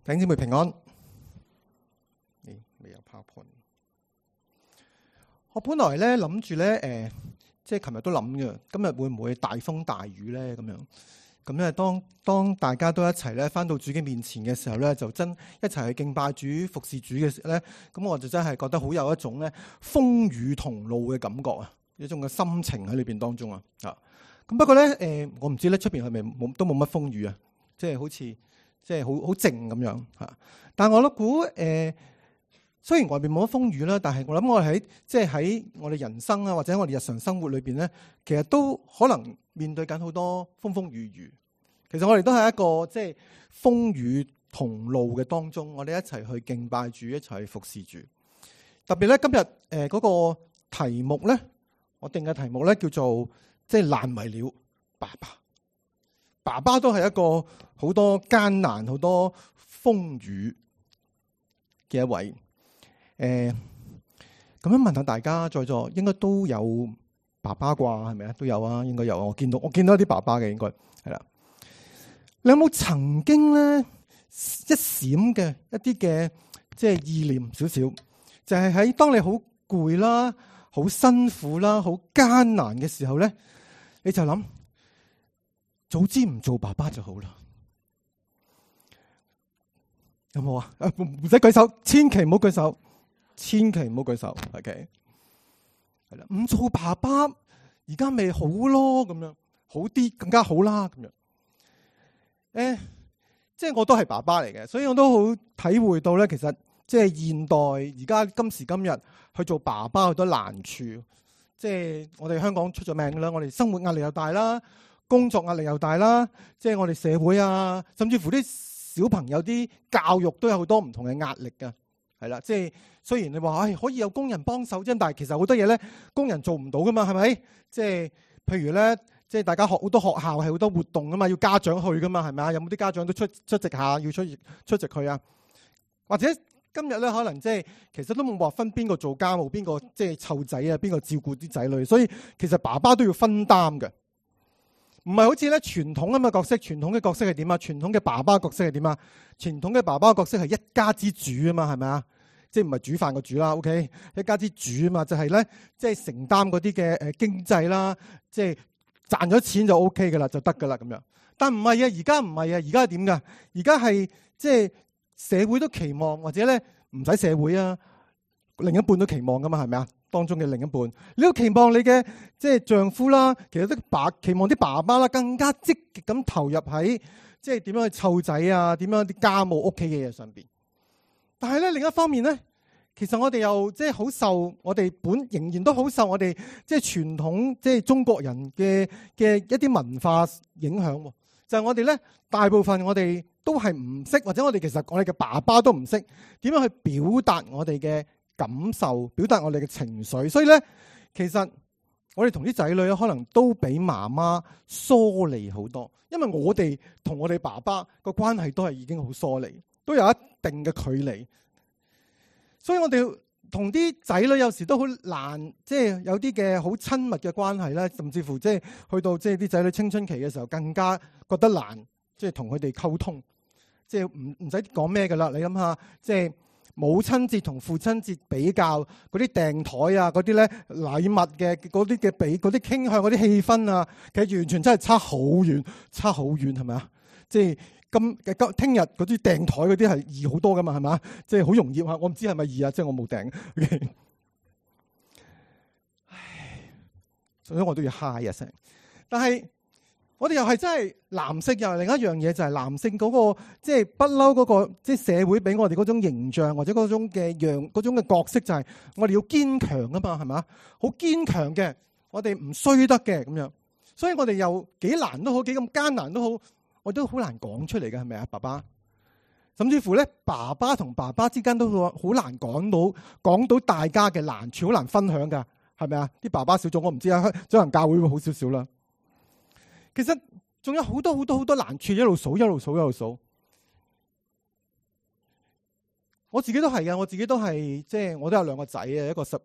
弟兄姊妹平安。未有 PowerPoint。我本來咧諗住咧，即係琴日都諗嘅，今日會唔會大風大雨咧？咁樣咁咧，當大家都一齊咧返到主嘅面前嘅時候咧，就真一齊去敬拜主、服侍主嘅時候咧，咁我就真係覺得好有一種咧風雨同路嘅感覺啊，一種嘅心情喺裏邊當中啊。咁不過咧，我唔知咧出邊係咪都冇乜風雨啊，即係好似即係好靜咁樣嚇。但係我都估雖然外邊冇乜風雨啦，但係我諗我哋喺我哋人生啊，或者我哋日常生活裏邊咧，其實都可能面對緊好多風雨雨。其實我哋都係一個即係風雨同路嘅當中，我哋一齊去敬拜主，一齊去服侍主。特別咧今日嗰個題目咧，我定嘅題目咧叫做即係難為了爸爸。爸爸都係一個好多艱難、好多風雨嘅一位。咁樣問下大家在座應該都有爸爸啩，係咪啊？都有啊，應該有啊。我見到一啲爸爸嘅，應該係啦。你有冇曾經咧一閃嘅一啲嘅即係意念少少，就係喺當你好攰啦、好辛苦啦、好艱難嘅時候咧，你就諗早知唔做爸爸就好啦。有冇啊？唔使舉手，千祈唔好舉手。千祈唔好舉手 ，OK， 係啦，唔做爸爸而家咪好咯，咁樣好啲更加好啦，咁樣。即係我都係爸爸嚟嘅，所以我都好體會到咧，其實即係現代而家今時今日去做爸爸好多難處。即係我哋香港出咗名啦，我哋生活壓力又大啦，工作壓力又大啦，即係我哋社會啊，甚至乎啲小朋友啲教育都有好多唔同嘅壓力㗎。係啦，即係雖然你話可以有工人幫手啫，但係其實好多嘢咧，工人做唔到噶嘛，係咪？即係譬如咧，即係大家好多學校係好多活動噶嘛，要家長去噶嘛，係咪啊？有冇啲家長都出席下，要出席去啊？或者今日咧，可能即係其實都冇話分邊個做家務，邊個即係湊仔啊，邊個照顧啲仔女，所以其實爸爸都要分擔嘅，唔係好似咧傳統咁嘅角色。傳統嘅角色係點啊？傳統嘅爸爸角色係點啊？傳統嘅爸爸角色係一家之主啊嘛，係咪啊？即係唔係煮飯個煮啦 ，OK， 一家之主啊嘛，就係咧，即係承擔嗰啲嘅經濟啦，即係賺咗錢就 OK 噶啦，就得噶啦咁樣。但唔係啊，而家唔係啊，而家係點噶？而家係即係社會都期望，或者咧唔使社會啊，另一半都期望噶嘛，係咪啊？當中嘅另一半，你都期望你嘅即係丈夫啦，其實都期望啲爸爸啦，更加積極咁投入喺即係點樣去湊仔啊，點樣啲家務屋企嘅嘢上邊。但係咧另一方面咧，其實我哋又即係好受我哋仍然都好受我哋即係傳統即係中國人嘅一啲文化影響。就係我哋咧大部分我哋都係唔識，或者我哋其實我哋嘅爸爸都唔識點樣去表達我哋嘅感受，表達我哋嘅情緒。所以咧，其實我哋同啲仔女可能都比媽媽疏離好多，因為我哋同我哋爸爸個關係都係已經好疏離，都有一定嘅距離。所以我哋同啲仔女有時都好難，即係有啲嘅好親密嘅關係啦，甚至乎即係去到即係啲仔女青春期嘅時候，更加覺得難，即係同佢哋溝通。即係唔使講咩噶啦，你諗下，即係母親節同父親節比較嗰啲訂台啊，嗰啲咧禮物嘅嗰啲嘅嗰啲傾向，嗰啲氣氛啊，其實完全真係差好遠，差好遠，係咪啊？即係聽日嗰啲訂台嗰啲係易好多噶嘛，係咪？即係好容易啊！我唔知係咪易啊，即係我冇訂。Okay. 唉，所以我都要嗨一聲。但係我哋又係真係男性，又係另一樣嘢，就係男性嗰個即係不嬲嗰個即係社會俾我哋嗰種形象，或者嗰種嘅角色，就係我哋要堅強啊嘛，係咪？好堅強嘅，我哋唔衰得嘅咁樣。所以我哋又幾難都好，幾咁艱難都好，我都好難講出嚟嘅，係咪啊？爸爸，甚至乎咧，爸爸同爸爸之間都好難講到大家嘅難處，好難分享噶，係咪啊？啲爸爸小組我唔知啊，可能教會會好少少啦。其實仲有好多難處，一路數。我自己都係嘅，我自己都係即係我都有兩個仔啊，一個十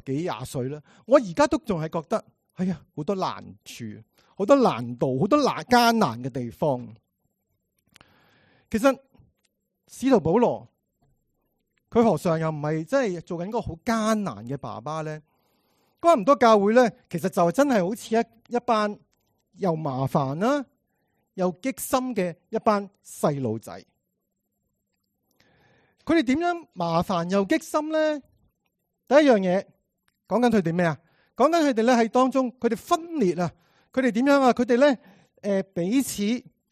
幾廿歲啦。我而家都仲係覺得，哎呀，好多難處，好多難度，好多艱難嘅地方。其實使徒保羅佢何嘗又唔係真係做緊一個好艱難嘅爸爸咧？哥林多教會咧，其實就真係好似一班又麻煩啦，又激心嘅一班細路仔。佢哋點樣麻煩又激心咧？第一樣嘢講緊佢哋咩啊？講緊佢哋咧喺當中，佢哋分裂啊！佢哋點樣啊？佢哋咧彼此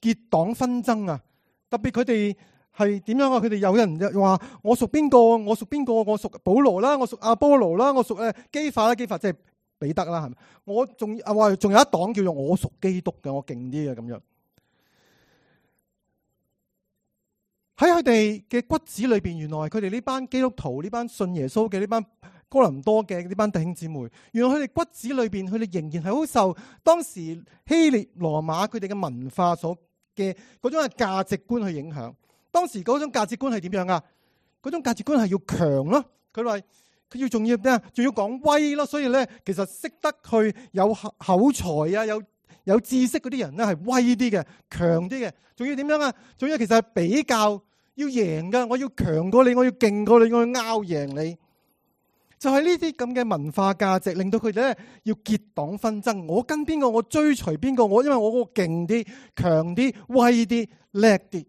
結黨紛爭啊！特別佢哋係點樣啊？佢哋有人話我屬邊個？我屬邊個？我屬保羅啦，我屬阿波羅啦，我屬基法啦，基法即係彼得啦，係咪？我仲話仲有一黨叫做我屬基督嘅，我勁啲嘅咁樣。喺佢哋嘅骨子裏邊，原來佢哋呢班基督徒，呢班信耶穌嘅呢班哥林多嘅呢班弟兄姊妹，原來佢哋骨子裏邊，佢哋仍然係好受當時希臘羅馬佢哋嘅文化所嘅嗰種嘅價值觀去影響。當時嗰種價值觀係點樣啊？嗰種價值觀係要強咯。佢話佢要仲要咩啊？仲要講威咯。所以咧，其實識得去有口才啊，有知識嗰啲人咧係威啲嘅，強啲嘅。仲要點樣啊？仲要其實係比較要贏噶，我要強過你，我要勁過你，我要拗贏你。就係呢啲咁嘅文化價值，令到佢哋咧要結黨紛爭。我跟邊個，我追隨邊個。我因為我嗰個勁啲、強啲、威啲、叻啲。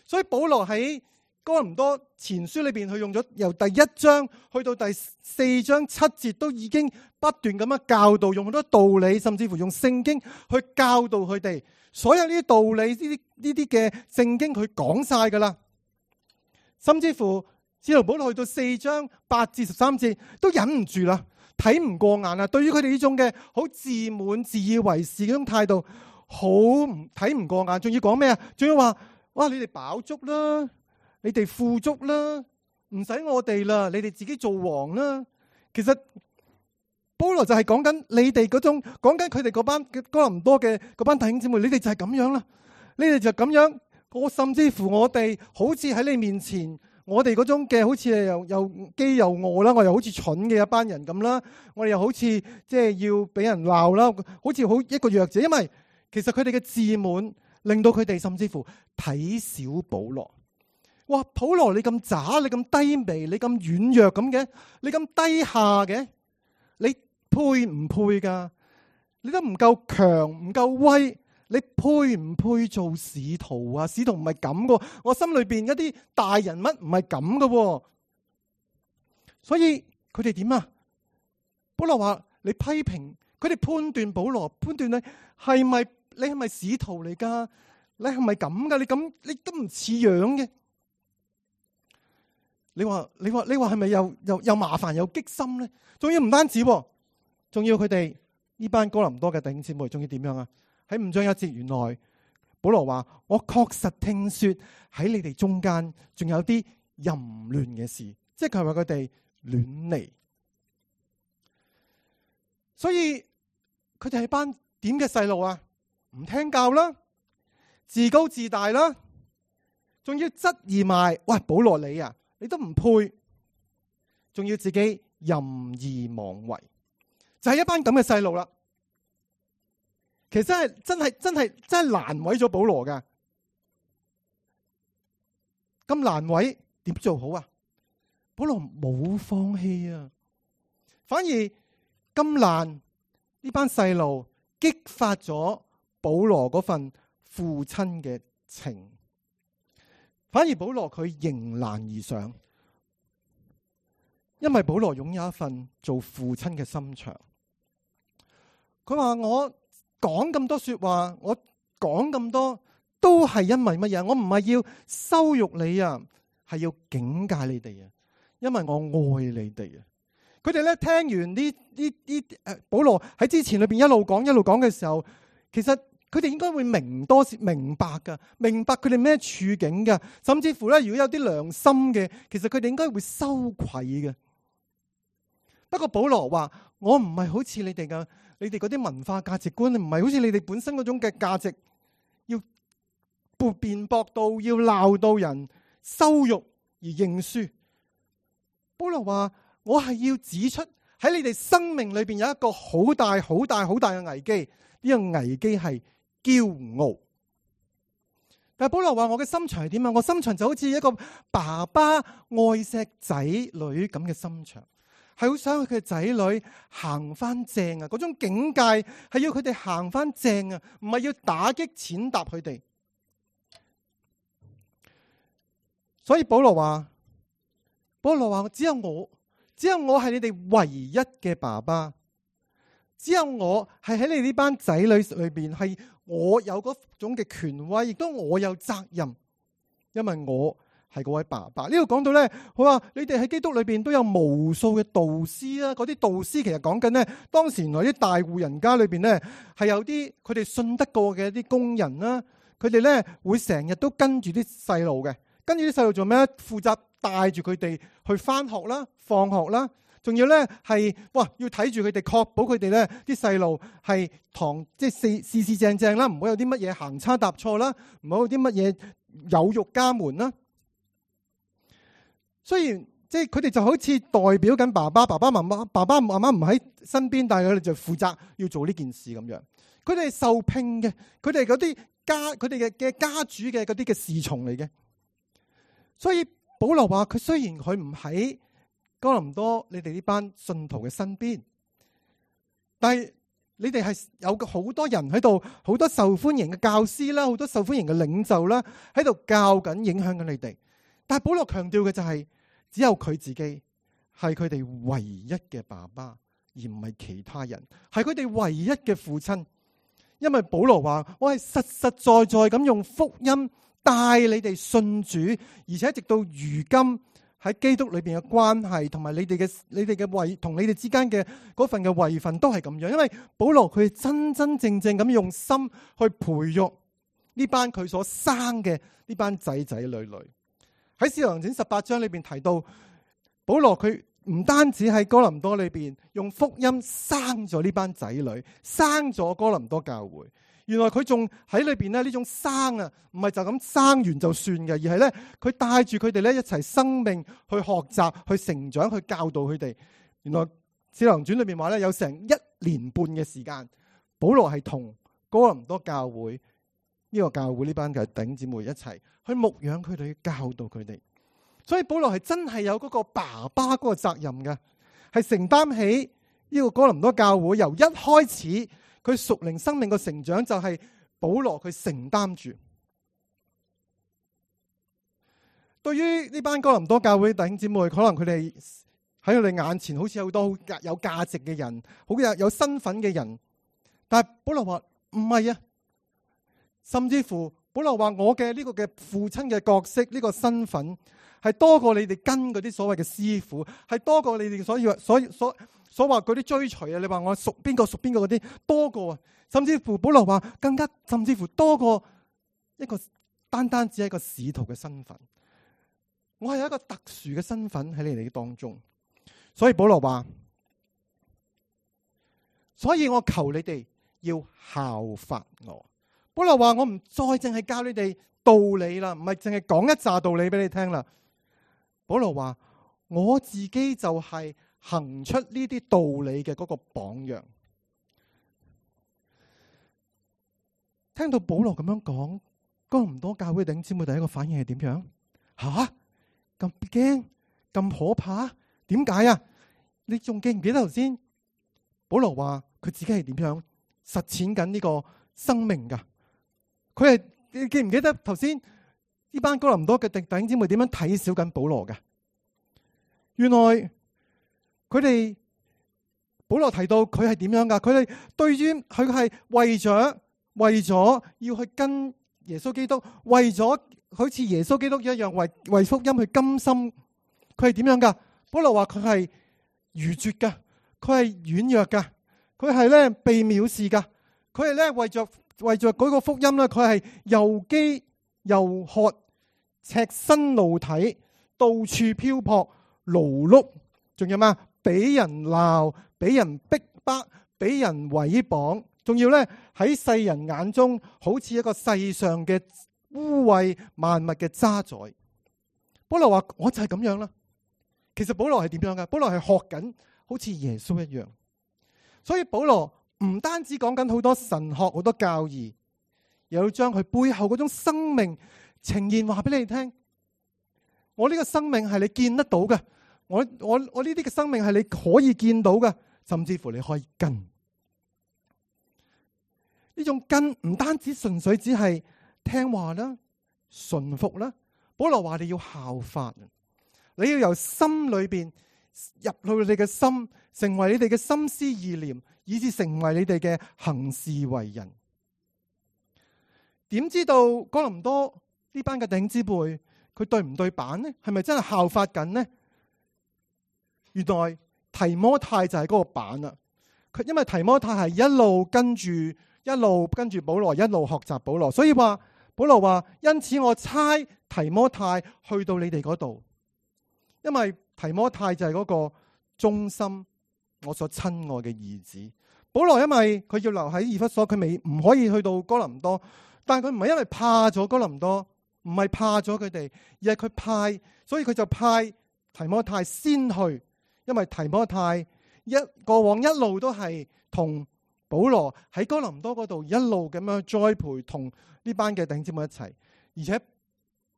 所以保羅喺哥林多前書裏邊，佢用咗由第1章去到第4章7節，都已經不斷咁樣教導，用好多道理，甚至乎用聖經去教導佢哋。所有呢啲道理，呢啲嘅聖經，佢講晒噶啦。甚至乎使徒保羅去到4章8至13節，都忍唔住啦，睇唔過眼啦。對於佢哋呢種嘅好自滿、自以為是嗰種態度，好睇唔過眼。仲要講咩啊？仲要話，哇！你哋飽足啦，你哋富足啦，唔使我哋啦，你哋自己做王啦。其實保羅就係講緊你哋嗰種，講緊佢哋嗰班哥林多嘅嗰班弟兄姊妹，你哋就係咁樣啦，你哋就咁樣。我甚至乎我哋好似喺你面前，我哋嗰種嘅好似又飢又餓啦，我又好似蠢嘅一班人咁啦，我哋又好似即係要俾人鬧啦，好似好一個弱者。因為其實佢哋嘅自滿，令到佢哋甚至乎睇小保羅。哇！保羅你咁渣，你咁低微，你咁軟弱咁嘅，你咁低下嘅，你配唔配噶？你都唔夠強，唔夠威，你配唔配做使徒啊？使徒唔係咁噶，我心裏邊一啲大人物唔係咁噶。所以佢哋點啊？保羅話你批評佢哋，判斷保羅，判斷你係咪使徒嚟噶？你係咪咁噶？你都唔似樣嘅。你話係咪又麻煩又激心咧？仲要唔單止，仲要佢哋呢班哥林多嘅弟兄姊妹，仲要點樣啊？喺5章1節，原來保羅話：我確實聽說喺你哋中間仲有啲淫亂嘅事，即係佢話佢哋亂嚟。所以佢哋係班點嘅細路啊？唔聽教啦，自高自大啦，仲要質疑埋，喂，保羅你啊，你都唔配，仲要自己任意妄為，就係一班咁嘅細路啦。其實真係難為咗保羅噶，咁難為點做好啊？保羅冇放棄啊，反而咁難，呢班細路激發咗保羅嗰份父親嘅情，反而保羅佢迎難而上，因為保羅擁有一份做父親嘅心腸。佢話我講咁多說話，我講咁多都係因為乜嘢？我唔係要羞辱你啊，係要警戒你哋啊，因為我愛你哋啊。佢哋咧聽完呢保羅喺之前裏邊一路講嘅時候，其實佢哋應該會明白噶，明白佢哋咩處境噶，甚至乎咧，如果有啲良心嘅，其實佢哋應該會羞愧嘅。不過保羅話：我唔係好似你哋嗰啲文化價值觀，唔係好似你哋本身嗰種嘅價值，要辯駁到，要鬧到人羞辱而認輸。保羅話：我係要指出喺你哋生命裏邊有一個好大嘅危機，呢個危機係驕傲。但係保羅話我嘅心腸係點啊？我心腸就好似一個爸爸愛錫仔女咁嘅心腸，係好想佢嘅仔女行翻正啊！嗰種境界係要佢哋行翻正啊，唔係要打擊踐踏佢哋。所以保羅話只有我係你哋唯一嘅爸爸，只有我係喺你呢班仔女裏邊，係我有嗰種嘅權威，亦都我有責任，因為我係嗰位爸爸。呢度講到咧，佢話你哋喺基督裏邊都有無數嘅導師啦。嗰啲導師其實講緊咧，當時原來啲大戶人家裏邊咧係有啲佢哋信得過嘅一啲工人啦，佢哋咧會成日都跟住啲細路嘅，跟住啲細路做咩咧？負責帶住佢哋去翻學啦、放學啦。仲要咧係要睇住佢哋，確保佢哋咧啲細路係即係四正正啦，唔好有啲乜嘢行差踏錯啦，唔好有啲乜嘢有辱家門啦。雖然即係佢哋就好似代表緊爸爸媽媽唔喺身邊，但係佢哋就負責要做呢件事咁樣。佢哋係受聘嘅，佢哋嗰啲佢哋嘅家主嘅嗰啲嘅侍從嚟嘅。所以保羅話佢雖然佢唔喺哥林多你哋呢班信徒嘅身邊，但係你哋係有好多人喺度，好多受歡迎嘅教師啦，好多受歡迎嘅領袖啦，喺度教緊、影響緊你哋。但係保羅強調嘅就係，只有佢自己係佢哋唯一嘅爸爸，而唔係其他人，係佢哋唯一嘅父親。因為保羅話我係實實在在咁用福音帶你哋信主，而且直到如今喺基督裏邊嘅關係，同埋你哋嘅同你哋之間嘅嗰份嘅位份都係咁樣。因為保羅佢真真正正咁用心去培育呢班佢所生嘅呢班仔仔女女。喺《使徒行傳》18章裏邊提到，保羅佢唔單止喺哥林多裏邊用福音生咗呢班仔女，生咗哥林多教會。原來佢仲喺裏邊咧，呢種生啊，唔係就咁生完就算嘅，而係咧佢帶住佢哋咧一齊生命去學習、去成長、去教導佢哋。原來《使徒行傳》裏邊話咧，有成1年半嘅時間，保羅係同哥林多教會呢個教會呢班嘅弟兄姊妹一齊去牧養佢哋，去教導佢哋。所以保羅係真係有嗰個爸爸嗰個責任嘅，係承擔起呢個哥林多教會由一開始佢屬靈生命嘅成長，就係保羅佢承擔住。對於呢班哥林多教會弟兄姊妹，可能佢哋喺佢哋眼前好似有好多有價值嘅人，好有身份嘅人，但係保羅話唔係啊，甚至乎保羅話我嘅呢個嘅父親嘅角色，呢個身份係多過你哋跟嗰啲所謂嘅師傅，係多過你哋所話嗰啲追隨啊！你話我屬邊個嗰啲多過啊，甚至乎保羅話甚至乎多過一個單只係一個使徒嘅身份。我係有一個特殊嘅身份喺你哋當中，所以保羅話，所以我求你哋要效法我。保羅話我唔再淨係教你哋道理啦，唔係淨係講一紮道理俾你聽啦。保羅話我自己就係行出呢啲道理嘅嗰個榜樣。聽到保羅咁樣講，哥林多教會弟兄姊妹第一個反應係點樣？吓，咁驚咁可怕？點解啊？你仲記唔記得頭先保羅話佢自己係點樣實踐緊呢個生命噶？佢係，你記唔記得頭先呢班哥林多嘅弟兄姊妹點樣睇小緊保羅嘅？原來佢哋保羅提到佢係點樣噶？佢哋對於佢係為咗要去跟耶穌基督，為咗好似耶穌基督一樣為福音去甘心，佢係點樣噶？保羅話佢係愚拙噶，佢係軟弱噶，佢係咧被藐視噶，佢係咧為着嗰個福音咧，佢係又飢又渴，赤身露體，到處漂泊，勞碌，仲有咩？俾人鬧，俾人逼迫，俾人毀謗，仲要咧喺世人眼中好似一個世上嘅污穢萬物嘅渣滓。保羅話我就係咁樣啦。其實保羅係點樣噶？保羅係學緊好似耶穌一樣。所以保羅唔單止講緊好多神學好多教義，又要將佢背後嗰種生命呈現話俾你聽。我呢個生命係你見得到嘅，我呢啲嘅生命係你可以見到嘅，甚至乎你可以跟。呢種跟唔單止純粹只係聽話啦、順服啦。保羅話你要效法，你要由心裏邊入去你嘅心，成為你哋嘅心思意念，以至成為你哋嘅行事為人。點知道哥林多呢班嘅弟兄姊妹佢對唔對版呢？係咪真係效法緊呢？原來提摩太就係嗰個版啦。佢因為提摩太係一路跟住保羅，一路學習保羅，所以話保羅話，因此我差提摩太去到你哋嗰度，因為提摩太就係嗰個忠心我所親愛嘅兒子。保羅因為佢要留喺以弗所，佢唔可以去到哥林多，但係佢唔係因為怕咗哥林多，唔係怕咗佢哋，而係佢派，所以佢就派提摩太先去，因為提摩太過往一路都係同保羅喺哥林多嗰度一路咁樣栽培，同呢班嘅弟兄姊妹一齊，而且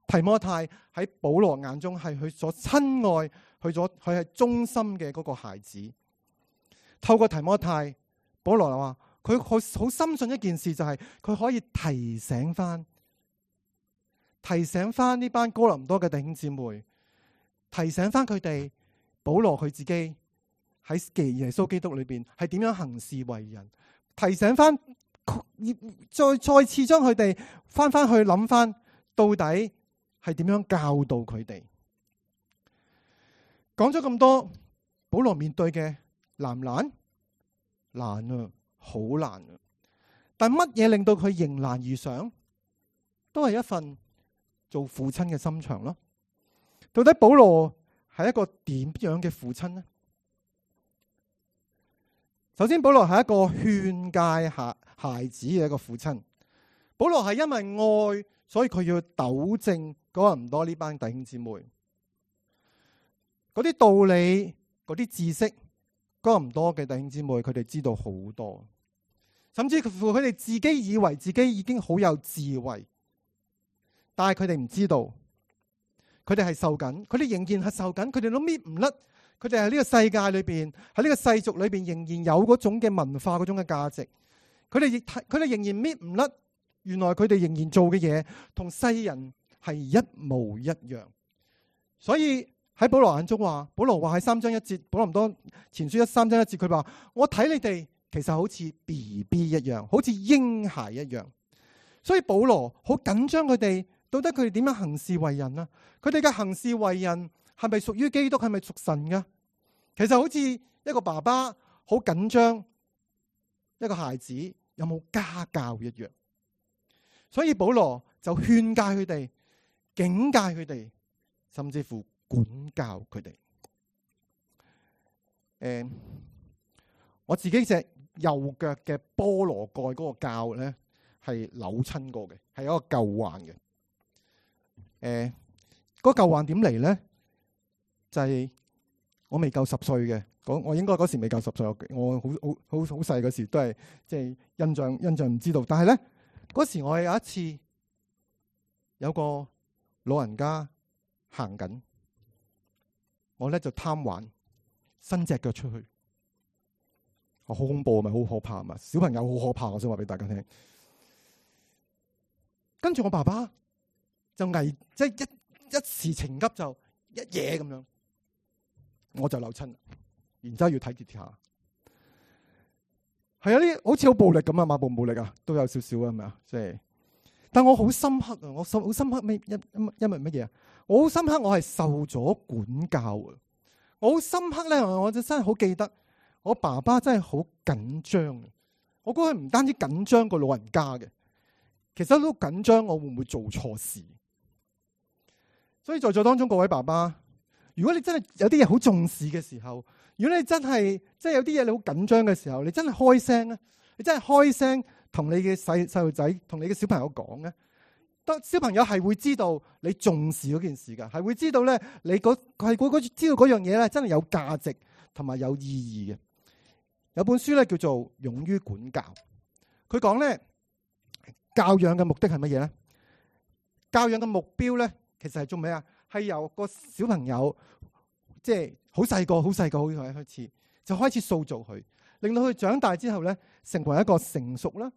提摩太喺保羅眼中係佢所親愛，佢係忠心嘅嗰個孩子。透過提摩太，保羅話佢好深信一件事，就係佢可以提醒翻呢班哥林多嘅弟兄姊妹，提醒翻佢哋保羅佢自己喺耶穌基督裏邊係點樣行事為人，提醒翻再次將佢哋翻去諗翻到底係點樣教導佢哋。講咗咁多，保羅面對嘅難唔難？難啊，好難啊！但乜嘢令到佢迎難而上？都係一份做父親嘅心腸咯。到底保羅係一個點樣嘅父親呢？首先，保羅係一個勸誡孩子嘅一個父親。保羅係因為愛，所以佢要糾正哥林多呢班弟兄姊妹嗰啲道理、嗰啲知識。哥林多嘅弟兄姊妹，佢哋知道好多，甚至乎佢哋自己以為自己已經好有智慧，但係佢哋唔知道，佢哋係受緊，佢哋仍然係受緊，佢哋都搣唔甩，佢哋喺呢個世界裏邊，喺呢個世俗裏邊，仍然有嗰種嘅文化，嗰種嘅價值，佢哋仍然搣唔甩，原來佢哋仍然做嘅嘢同世人係一模一樣，所以。喺保羅眼中話，保羅話喺3章1節，保羅唔多前書3章1節，佢話我睇你哋其實好似 BB 一樣，好似嬰孩一樣。所以保羅好緊張佢哋，到底佢哋點樣行事為人啊？佢哋嘅行事為人係咪屬於基督？係咪屬神噶？其實好似一個爸爸好緊張一個孩子有冇家教一樣。所以保羅就勸誡佢哋，警戒佢哋，甚至乎管教佢哋。我自己隻右腳嘅菠蘿蓋嗰個臼咧係扭親過嘅，係一個舊患嘅。嗰舊患點嚟咧？就係我未夠10歲嘅，我應該嗰時未夠10歲，我好細嗰時都係即係印象唔知道。但係咧嗰時我有一次有個老人家行緊。我咧就貪玩，伸隻腳出去，好恐怖，咪好可怕嘛！小朋友好可怕，我想話俾大家聽。跟住我爸爸就即係一時情急就一嘢咁樣，我就扭親，然之後要睇跌下。係啊，呢好似好暴力咁啊，馬步暴力啊，都有少少啊，係咪啊？即係，但我好深刻啊！我好深刻因為乜嘢啊？我好深刻，我係受咗管教啊！我好深刻咧，我真係好記得，我爸爸真係好緊張。我估佢唔單止緊張個老人家嘅，其實都緊張我會唔會做錯事。所以在座當中各位爸爸，如果你真係有啲嘢好重視嘅時候，如果你真係有啲嘢你好緊張嘅時候，你真係開聲啊！你真係開聲同你嘅細路仔，同你嘅小朋友講咧。小朋友係會知道你重視嗰件事噶，係會知道咧你知道嗰樣嘢咧真係有價值同埋有意義嘅。有本書咧叫做《勇於管教》，佢講咧教養嘅目的係乜嘢咧？教養嘅目標咧，其實係做咩啊？係由個小朋友即係好細個開始，就開始塑造佢，令到佢長大之後咧，成為一個成熟啦、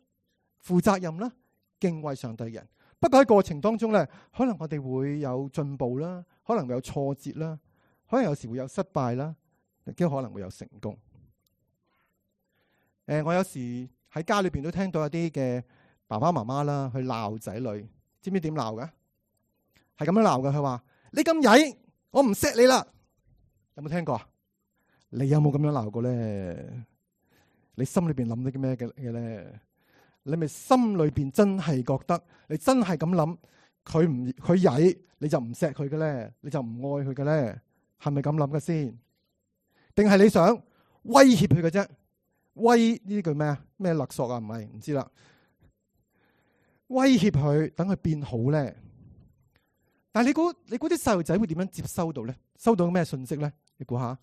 負責任啦、敬畏上帝嘅人。不過喺過程當中咧，可能我哋會有進步啦，可能會有挫折啦，可能有時會有失敗啦，亦都可能會有成功。我有時喺家裏邊都聽到一啲嘅爸爸媽媽啦，去鬧仔女，知唔知點鬧㗎？係咁樣鬧㗎，佢話：你咁曳，我唔錫你啦！有冇聽過啊？你有冇咁樣鬧過咧？你心裏邊諗啲咩嘅咧？你咪心裏邊真係覺得，你真係咁諗，佢曳，你就唔錫佢嘅咧，你就唔愛佢嘅咧，係咪咁諗嘅先？定係你想威脅佢嘅啫？威呢句咩啊？咩勒索啊？唔知啦。威脅佢，等佢變好咧。但係你估啲細路仔會點樣接收到咧？收到咩信息咧？你估下，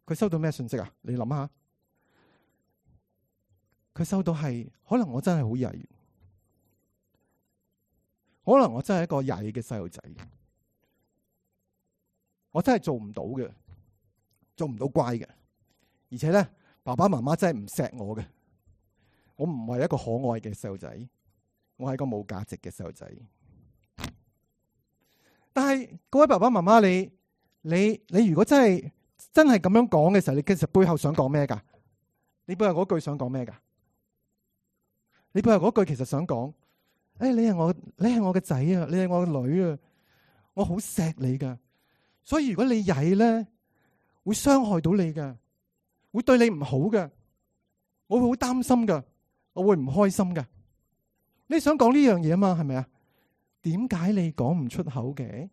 佢收到咩信息啊？你諗下，佢收到係可能我真係好曳，可能我真係一個曳嘅細路仔，我真係做唔到嘅，做唔到乖嘅，而且咧，爸爸媽媽真係唔錫我嘅，我唔係一個可愛嘅細路仔，我係一個冇價值嘅細路仔。但係各位爸爸媽媽，你如果真係咁樣講嘅時候，你其實背後想講咩噶？你背後嗰句想講咩噶？你背後嗰句其實想講，你係我嘅仔啊，你係我嘅女啊，我好錫你噶。所以如果你曳咧，會傷害到你噶，會對你唔好噶，我會好擔心噶，我會唔開心噶。你想講呢樣嘢啊嘛，係咪啊？點解你講唔出口嘅？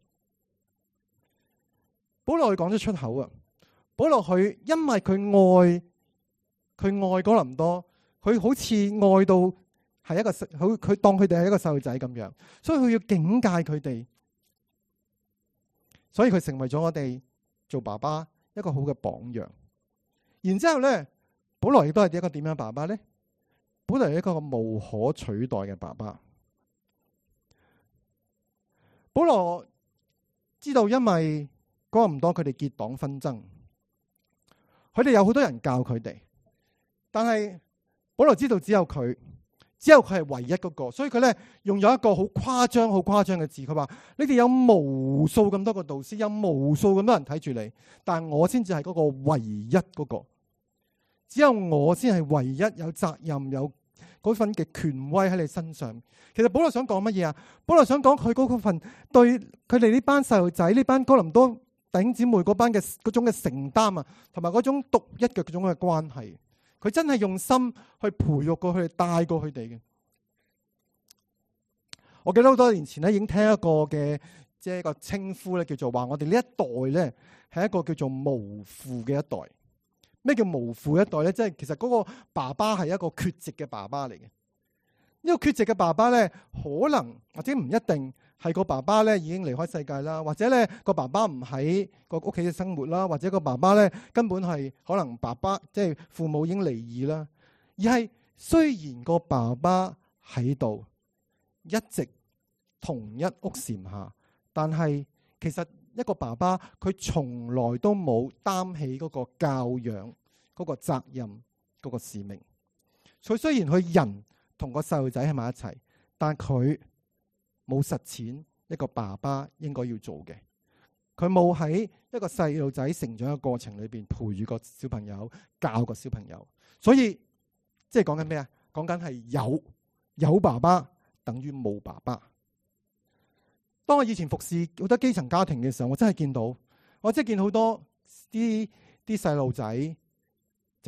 保羅佢講咗出口啊！保羅佢因為佢愛哥林多，佢好似愛到係一個佢當佢哋係一個細路仔咁樣，所以佢要警戒佢哋，所以佢成為咗我哋做爸爸一個好嘅榜樣。然之後咧，保羅亦都係一個點樣爸爸咧？保羅係一個無可取代嘅爸爸。保羅知道，因為哥林多佢哋結黨紛爭，佢哋有好多人教佢哋，但係保羅知道只有佢係唯一嗰個，所以佢咧用咗一個好誇張嘅字，佢話：你哋有無數咁多個導師，有無數咁多人睇住你，但係我先至係嗰個唯一嗰個，只有我先係唯一有責任有嗰份嘅權威喺你身上。其實保羅想講乜嘢啊？保羅想講佢嗰份對佢哋呢班細路仔、呢班哥林多弟兄姊妹嗰班嘅嗰種嘅承擔啊，同埋嗰種獨一嘅嗰種嘅關係，佢真係用心去培育過佢哋，帶過佢哋嘅。我記得好多年前咧，已經聽一個嘅即係一個稱呼咧，叫做話我哋呢一代咧係一個叫做無父嘅一代。咩叫無父一代咧？即係其實嗰個爸爸係一個缺席嘅爸爸嚟嘅。呢個缺席嘅爸爸咧，可能或者唔一定係個爸爸咧已經離開世界啦，或者咧個爸爸唔喺個屋企嘅生活啦，或者個爸爸咧根本係可能爸爸即係父母已經離異啦，而係雖然個爸爸喺度一直同一屋檐下，但係其實一個爸爸佢從來都冇擔起嗰個教養嗰個責任嗰個使命。佢雖然佢人同個細路仔喺埋一齊，但佢冇實踐一個爸爸應該要做嘅。佢冇喺一個細路仔成長嘅過程裏邊培育個小朋友，教個小朋友。所以即係講緊咩啊？講緊係有爸爸等於冇爸爸。當我以前服侍好多基層家庭嘅時候，我真係見到，我真係見好多啲細路仔淨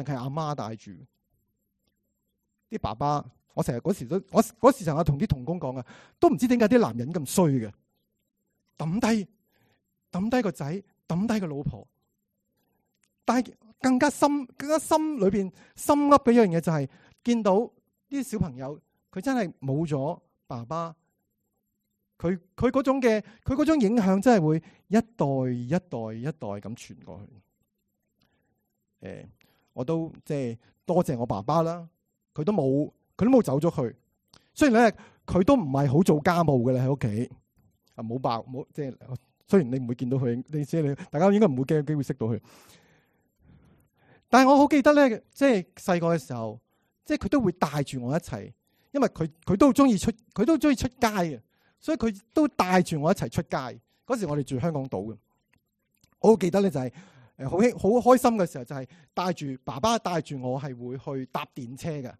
係阿媽帶住，啲爸爸。我成日嗰時成日同啲同工講啊，都唔知點解啲男人咁衰嘅，抌低個仔，抌低個老婆。但係更加心裏邊心噏嘅一樣嘢就係見到啲小朋友，佢真係冇咗爸爸，佢嗰種影響真係會一代咁傳過去。我都即係多謝我爸爸啦，佢都冇走咗去，雖然咧佢都唔係好做家務嘅咧喺屋企，啊冇爆冇即係，雖然你唔會見到佢，你知你大家應該唔會有機會識到佢。但係我好記得咧，即係細個嘅時候，即係佢都會帶住我一齊，因為佢都中意出街嘅，所以佢都帶住我一齊出街。嗰時我哋住香港島嘅，我好記得咧就係好開心嘅時候，就係爸爸帶住我係會去搭電車嘅。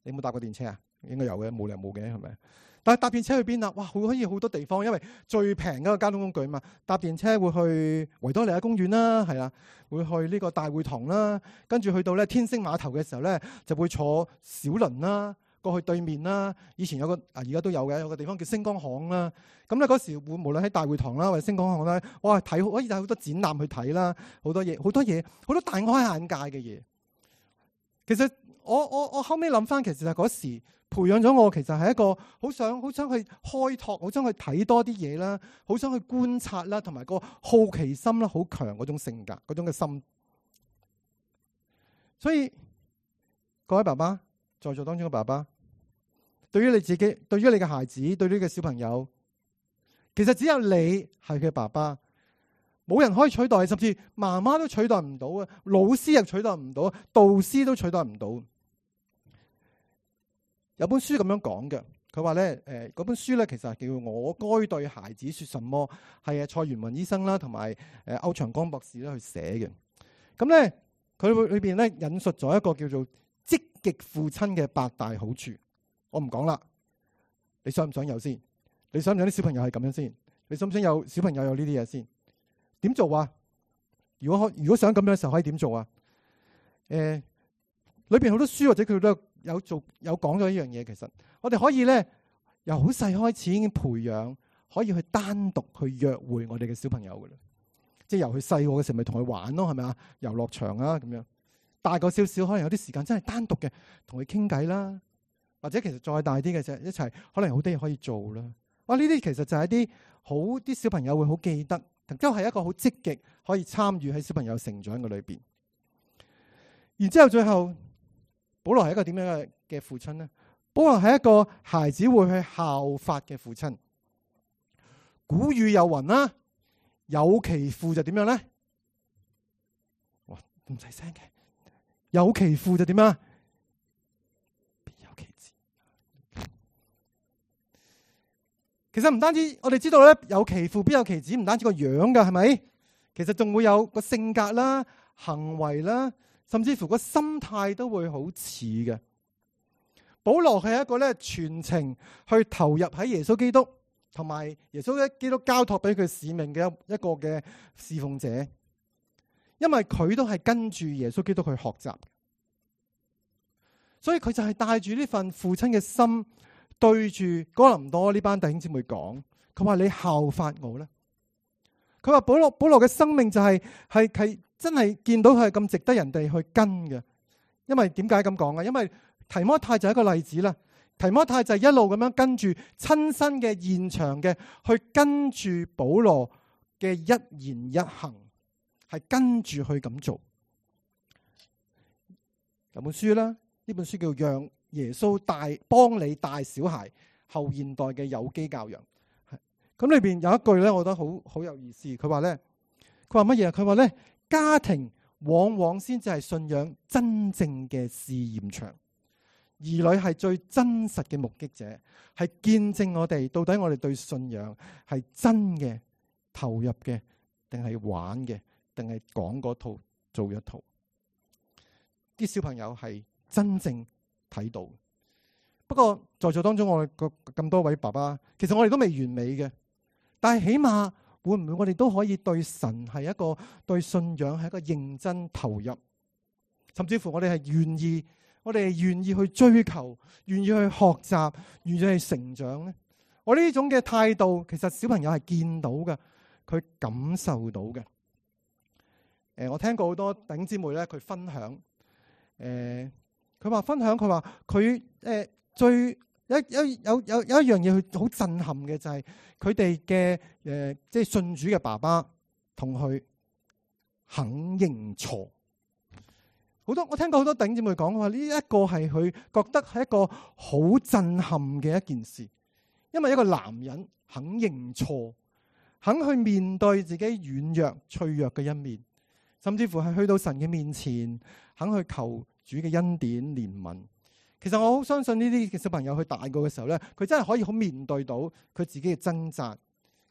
你有冇搭過電車啊？應該有嘅，冇理由冇嘅係咪？但係搭電車去邊啊？哇，可以好多地方，因為最平嗰個交通工具嘛。搭電車會去維多利亞公園啦，係啦，會去呢個大會堂啦，跟住去到咧天星碼頭嘅時候咧，就會坐小輪啦，過去對面啦。以前有個而家都有嘅，有個地方叫星光行啦。咁咧嗰時無論喺大會堂啦或者星光行咧，哇可以睇好多展覽去睇啦，好多嘢，好多大開眼界嘅嘢。其實我後尾諗翻，其實係嗰時培養咗我，其實係一個好想去開拓，好想去睇多啲嘢啦，好想去觀察啦，同埋個好奇心啦，好強嗰種性格，嗰種嘅心。所以各位爸爸，在座當中嘅爸爸，對於你自己，對於你嘅孩子，對於你嘅小朋友，其實只有你係佢嘅爸爸，冇人可以取代，甚至媽媽都取代唔到啊，老師又取代唔到，導師都取代唔到。有本書咁樣講嘅，佢話咧，嗰本書咧其實係叫《我該對孩子說什麼》，係蔡元文醫生啦，同埋歐長江博士咧去寫嘅。咁咧，佢裏邊咧引述咗一個叫做積極父親嘅8大好處。我唔講啦，你想唔想有先？你想唔想啲小朋友係咁樣先？你想唔想有小朋友有呢啲嘢先？點做啊？如果想咁樣嘅時候，可以點做啊？裏邊好多書或者佢都有講咗一樣嘢。其實我哋可以咧由好細開始已經培養，可以去單獨去約會我哋嘅小朋友噶啦。即係由佢細個嘅時候咪同佢玩咯，係咪啊？遊樂場啊咁樣。大個少少可能有啲時間真係單獨嘅同佢傾偈啦，或者其實再大啲嘅就一齊，可能好多嘢可以做啦。哇！呢啲其實就係啲小朋友會好記得，都係一個好積極可以參與喺小朋友成長嘅裏邊。然之後最後，保羅係一個點樣嘅父親呢？保羅係一個孩子會去效法嘅父親。古語有云啦，有其父就點樣咧？哇，咁細聲嘅，有其父就點啊？必有其子。其實唔單止我哋知道咧，有其父必有其子，唔單止個樣噶，係咪？其實仲會有個性格啦、行為啦，甚至乎個心態都會好似嘅。保羅係一個咧全程去投入喺耶穌基督同埋耶穌基督交託俾佢使命嘅一個嘅侍奉者，因為佢都係跟住耶穌基督去學習，所以佢就係帶住呢份父親嘅心，對住哥林多呢班弟兄姊妹講，佢話你效法我咧。佢話保羅嘅生命就係真係見到佢係咁值得人哋去跟嘅。因為點解咁講啊？因為提摩太就係一個例子啦。提摩太就係一路咁樣跟住親身嘅現場嘅去跟住保羅嘅一言一行，係跟住去咁做。有本書啦，呢本書叫《讓耶穌幫你帶小孩後現代嘅有機教養》。咁裏邊有一句咧，我覺得好有意思。佢話乜嘢？佢話咧，家庭往往先至係信仰真正嘅試驗場。兒女係最真實嘅目擊者，係見證我哋到底我哋對信仰係真嘅、投入嘅，定係玩嘅，定係講嗰套做一套。啲小朋友係真正睇到。不過在座當中我哋咁多位爸爸，其實我哋都未完美嘅，但係起碼會唔會我哋都可以對神係一個對信仰係一個認真投入，甚至乎我哋係願意去追求，願意去學習，願意去成長咧。我呢種嘅態度，其實小朋友係見到嘅，佢感受到嘅。我聽過好多弟兄姊妹咧，佢分享，佢話佢最有一樣嘢，佢好震撼嘅就係佢哋嘅即係信主嘅爸爸同佢肯認錯。我聽過好多弟兄姊妹講話，呢一個係佢覺得係一個好震撼嘅一件事，因為一個男人肯認錯，肯去面對自己軟弱脆弱嘅一面，甚至乎係去到神嘅面前，肯去求主嘅恩典憐憫。其實我好相信呢啲嘅小朋友去大個嘅時候咧，佢真係可以好面對到佢自己嘅掙扎，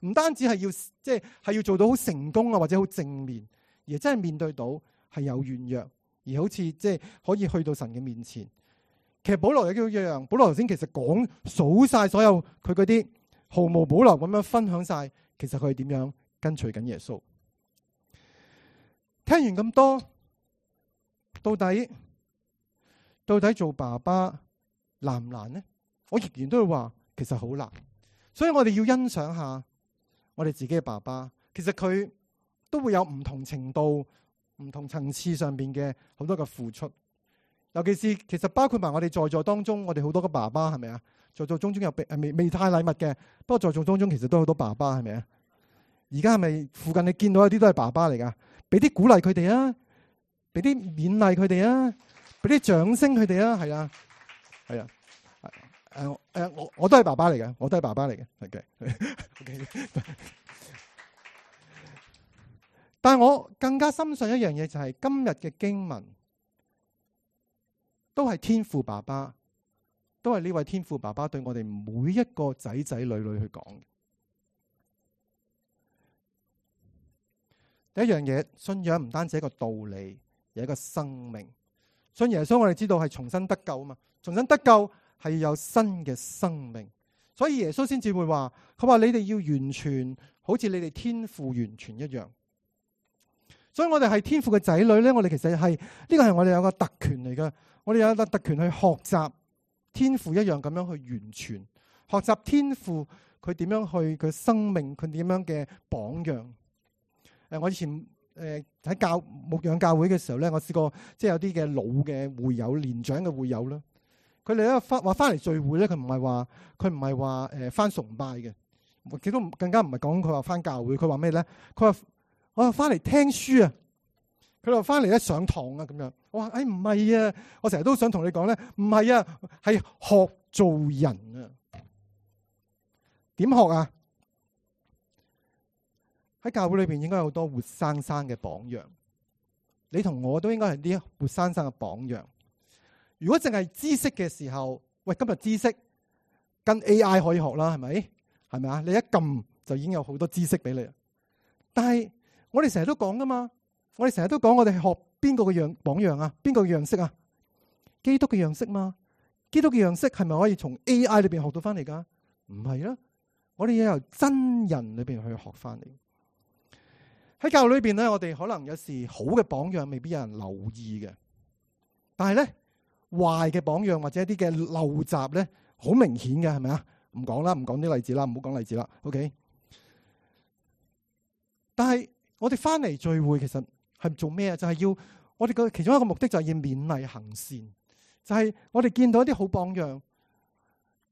唔單止係要做到好成功啊，或者好正面，而真係面對到係有軟弱。而好似可以去到神嘅面前。其實保羅亦都一樣，保羅頭先其實數晒所有佢嗰啲毫無保留咁樣分享晒，其實佢係點樣跟隨緊耶穌。聽完咁多，到底做爸爸難唔難呢？我仍然都會話其實好難。所以我哋要欣賞下我哋自己嘅爸爸，其實佢都會有唔同程度、唔同層次上邊嘅好多嘅付出，尤其是其實包括埋我哋在座當中，我哋好多個爸爸係咪啊？在座當中有未太禮物嘅，不過在座當中其實都好多爸爸係咪啊？而家係咪附近你見到有啲都係爸爸嚟噶？俾啲鼓勵佢哋啊，俾啲勉勵佢哋啊，俾啲掌聲佢哋啊，係啊，係啊，我都係爸爸嚟嘅，我都係爸爸嚟嘅，係嘅。但係我更加深信一樣嘢，就係今日嘅經文都係天父爸爸，都係呢位天父爸爸對我哋每一個仔仔女女去講嘅。第一樣嘢，信仰唔單止係一個道理，而係一個生命。信耶穌我哋知道係重新得救啊嘛，重新得救係要有新嘅生命，所以耶穌先至會話，佢話你哋要完全，好似你哋天父完全一樣。所以我哋係天父嘅仔女咧，我哋其實係呢個係我哋有個特權嚟嘅，我哋有個特權去學習天父一樣咁樣去完全，學習天父佢點樣去佢生命，佢點樣嘅榜樣。我以前喺牧養教會嘅時候咧，我試過有啲嘅老嘅會友、年長嘅會友啦，佢哋咧話翻嚟聚會咧，佢唔係話翻崇拜嘅，亦都更加唔係講佢話翻教會，佢話咩咧？佢話我翻嚟聽書啊，佢話翻嚟咧上堂啊咁樣。我話唔係啊，我成日都想同你講咧，唔係啊，係學做人啊。點學啊？喺教會裏邊應該有好多活生生嘅榜樣，你同我都應該係啲活生生嘅榜樣。如果淨係知識嘅時候，喂，今日知識跟 AI 可以學啦，係咪？係咪啊？你一撳就已經有好多知識俾你。但係我哋成日都講噶嘛，我哋成日都講我哋係學邊個嘅榜樣啊？邊個嘅樣式啊？基督嘅樣式嘛？基督嘅樣式係咪可以從 AI 裏邊學到翻嚟噶？唔係啦，我哋要由真人裏邊去學翻嚟。喺教會裏邊咧，我哋可能有時好嘅榜樣未必有人留意嘅，但係咧壞嘅榜樣或者一啲嘅陋習咧，好明顯嘅，係咪啊？唔講啦，唔講啲例子啦，唔好講例子啦。OK。但係我哋翻嚟聚會，其實係做咩啊？就係要我哋嘅其中一個目的就係要勉勵行善，就係我哋見到一啲好榜樣，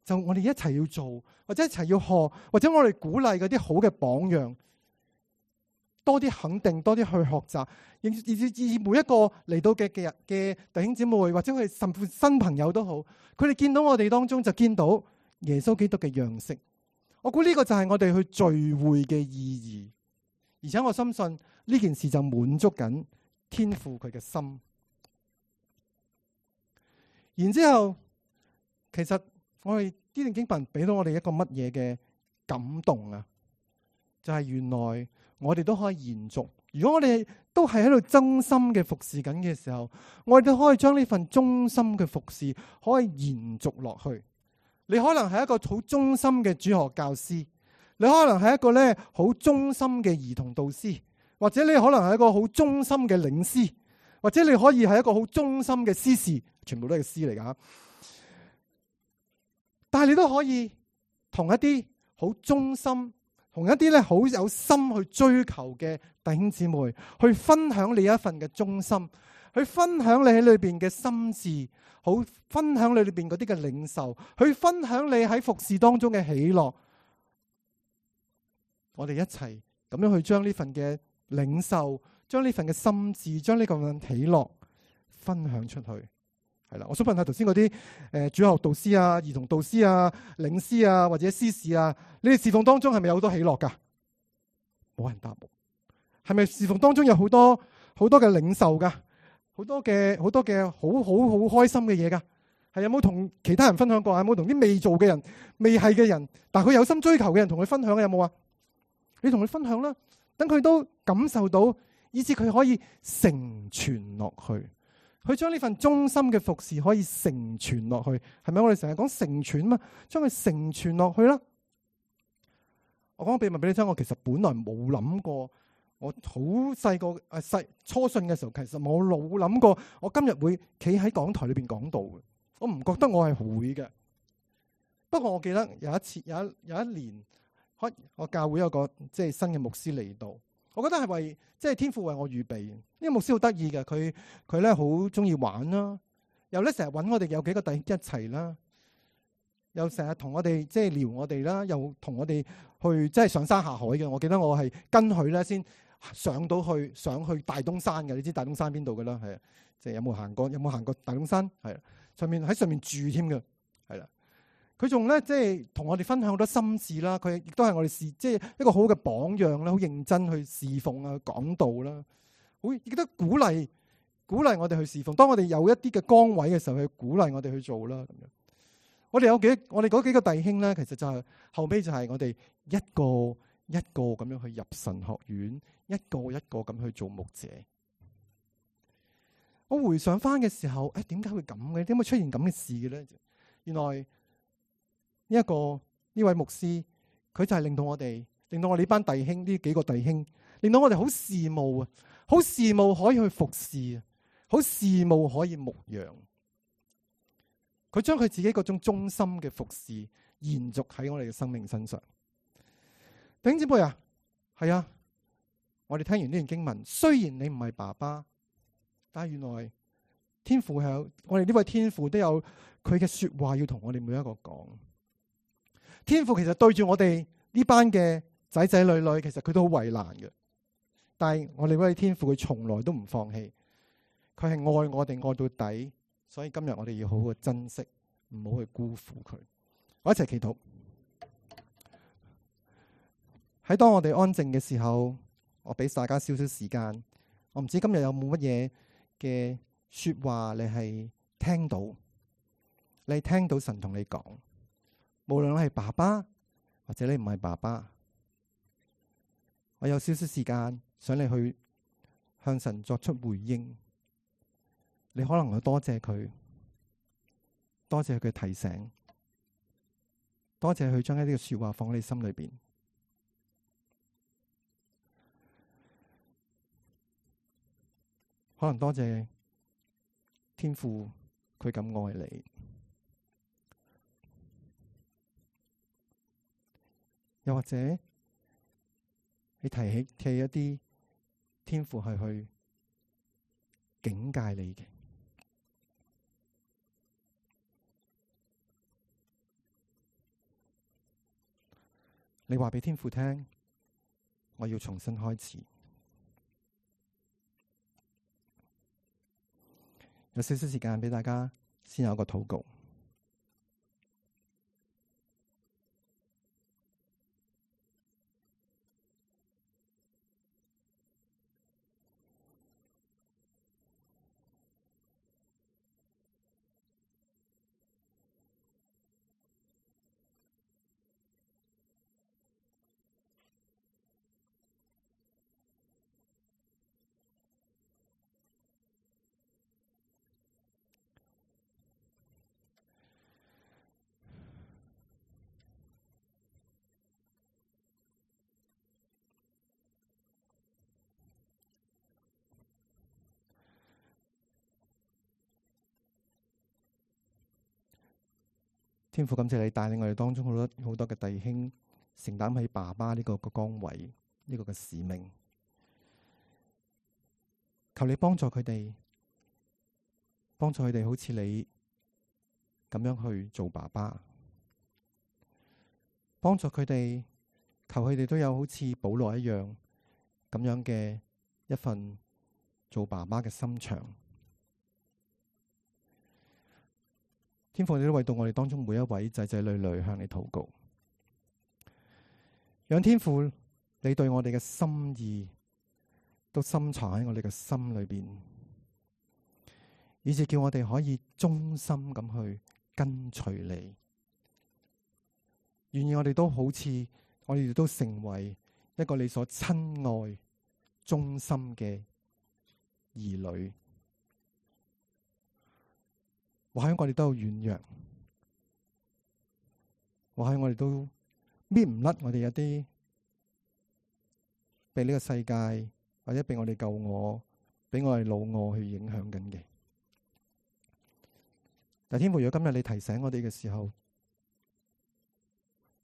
就我哋一齊要做，或者一齊要學，或者我哋鼓勵嗰啲好嘅榜樣。多啲肯定，多啲去學習，以每一個嚟到嘅弟兄姊妹，或者佢甚至新朋友都好，佢哋見到我哋當中就見到耶穌基督嘅樣式。我估呢個就係我哋去聚會嘅意義，而且我深信呢件事就滿足緊天父佢嘅心。然之後，其實我哋呢段經文俾到我哋一個乜嘢嘅感動啊？就係原來我哋都可以延續。如果我哋都係喺度忠心嘅服侍緊嘅時候，我哋都可以將呢份忠心嘅服侍可以延續落去。你可能係一個好忠心嘅主學教師，你可能係一個咧好忠心嘅兒童導師，或者你可能係一個好忠心嘅領詩，或者你可以係一個好忠心嘅司事，全部都係詩嚟噶。但係你都可以同一啲好忠心，同一啲咧好有心去追求嘅弟兄姊妹，去分享你一份嘅忠心，去分享你喺裏邊嘅心志，好分享你裏邊嗰啲嘅領受，去分享你喺服侍當中嘅喜樂。我哋一齊咁樣去將呢份嘅領受，將呢份嘅心志，將呢個喜樂分享出去。係啦，我想問下頭先嗰啲主學導師啊、兒童導師啊、領詩啊或者司事啊，你哋侍奉當中係咪有好多喜樂噶？冇人答我。係咪侍奉當中有好多嘅領受噶？好多嘅好開心嘅嘢噶？係有冇同其他人分享過？有冇同啲未做嘅人、未係嘅人，但係佢有心追求嘅人同佢分享嘅有冇啊？你同佢分享啦，等佢都感受到，以至佢可以成全落去。佢將呢份忠心嘅服侍可以成全落去，係咪？我哋成日講成全嘛，將佢成全落去啦。我講個秘密俾你聽，我其實本來冇諗過，我好細個初信嘅時候，其實我冇諗過，我今日會企喺講台裏邊講道嘅。我唔覺得我係會嘅。不過我記得有一次，有一年，我教會有個即係新嘅牧師嚟到。我覺得係為即係天父為我預備。呢個牧師好得意嘅，佢咧好中意玩啦，又咧成日揾我哋有幾個弟兄一齊啦，又成日同我哋即係撩我哋啦，又同我哋去即係上山下海嘅。我記得我係跟佢咧先上去大東山嘅。你知大東山邊度㗎啦？係啊，即係有冇行過大東山？係啊，喺上面住添嘅，係啦。佢仲咧即係同我哋分享好多心事啦。佢亦都係我哋即係一個好嘅榜樣啦，好認真去侍奉啊、講道啦，好亦都鼓勵我哋去侍奉。當我哋有一啲嘅崗位嘅時候，去鼓勵我哋去做啦。咁樣，我哋嗰幾個弟兄咧，其實就係後尾就係我哋一個一個咁樣去入神學院，一個一個咁去做牧者。我回想翻嘅時候，點解會咁嘅？點解會出現咁嘅事嘅咧？原來呢位牧師，佢就係令到我哋呢班弟兄，呢幾個弟兄，令到我哋好羨慕啊，好羨慕可以去服侍啊，好羨慕可以牧養。佢將佢自己嗰種忠心嘅服侍延續喺我哋嘅生命身上。弟兄姊妹啊，係啊，我哋聽完呢段經文，雖然你唔係爸爸，但係原來天父係我哋呢位天父都有佢嘅說話要同我哋每一個講。天父其實對住我哋呢班嘅仔仔女女，其實佢都好為難嘅。但係我哋呢位天父，佢從來都唔放棄，佢係愛我哋愛到底。所以今日我哋要好好珍惜，唔好去辜負佢。我一齊祈禱。喺當我哋安靜嘅時候，我俾大家少少時間。我唔知今日有冇乜嘢嘅說話你係聽到，你聽到神同你講。無論你係爸爸或者你唔係爸爸，我有少少時間想你去向神作出回應。你可能會多謝佢，多謝佢嘅提醒，多謝佢將一啲嘅說話放喺你心裏邊。可能多謝天父佢咁愛你。又或者你提起一啲天父係去警戒你嘅，你話俾天父聽，我要重新開始。有少少時間俾大家先有一個禱告。天父，感謝你帶領我哋當中好多嘅弟兄承擔起爸爸呢個崗位，呢個嘅使命。求你幫助佢哋，幫助佢哋好似你咁樣去做爸爸，幫助佢哋，求佢哋都有好似保羅一樣咁樣嘅一份做爸爸嘅心腸。天父，你都為到我哋當中每一位仔仔女女向你禱告，讓天父你對我哋嘅心意都深藏喺我哋嘅心裏邊，以致叫我哋可以忠心咁去跟隨你。願意我哋都好似我哋都成為一個你所親愛忠心嘅兒女。或許我哋都有軟弱，或許我哋都搣唔甩我哋有啲被呢個世界或者被我哋舊我、俾我哋老我去影響緊嘅。但天父，如果今日你提醒我哋嘅時候，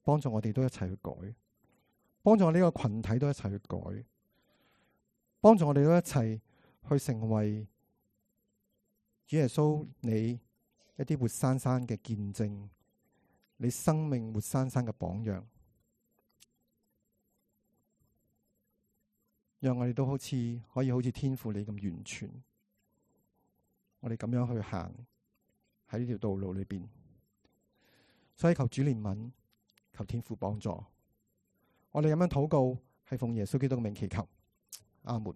幫助我哋都一齊去改，幫助我呢個群體都一齊去改，幫助我哋都一齊去成為主耶穌你一啲活生生嘅見證，你生命活生生嘅榜樣，讓我哋都可以好似天父你咁完全，我哋咁樣去行喺呢條道路裏邊。所以求主憐憫，求天父幫助，我哋咁樣禱告係奉耶穌基督嘅名祈求，阿門。